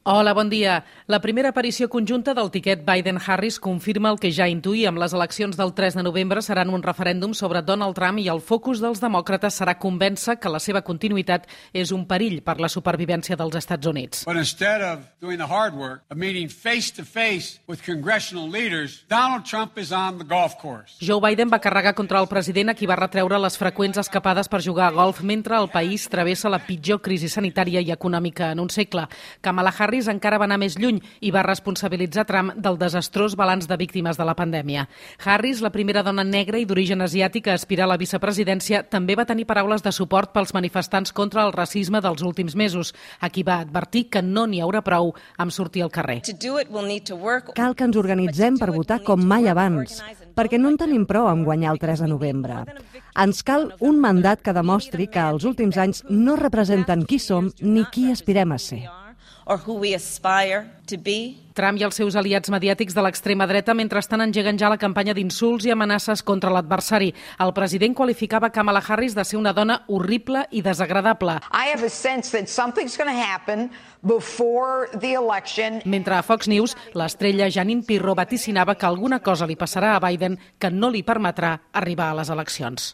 Hola, bon dia. La primera aparició conjunta del tiquet Biden-Harris confirma el que ja intuïem. Les eleccions del 3 de novembre seran un referèndum sobre Donald Trump i el focus dels demòcrates serà convèncer que la seva continuïtat és un perill per la supervivència dels Estats Units. But instead of doing the hard work of meeting face-to-face with congressional leaders, Donald Trump is on the golf course. Joe Biden va carregar contra el president a qui va retreure les freqüents escapades per jugar a golf mentre el país travessa la pitjor crisi sanitària i econòmica en un segle. Kamala Harris encara va anar més lluny i va responsabilitzar Trump del desastrós balanç de víctimes de la pandèmia. Harris, la primera dona negra i d'origen asiàtic a aspirar a la vicepresidència, també va tenir paraules de suport pels manifestants contra el racisme dels últims mesos, a qui va advertir que no n'hi haurà prou amb sortir al carrer. Cal que ens organitzem per votar com mai abans, perquè no en tenim prou amb guanyar el 3 de novembre. Ens cal un mandat que demostri que els últims anys no representen qui som ni qui aspirem a ser. Trump i els seus aliats mediàtics de l'extrema dreta mentrestant engeguen ja la campanya d'insults i amenaces contra l'adversari. El president qualificava Kamala Harris de ser una dona horrible i desagradable. Mentre a Fox News, l'estrella Jeanine Pirro vaticinava que alguna cosa li passarà a Biden que no li permetrà arribar a les eleccions.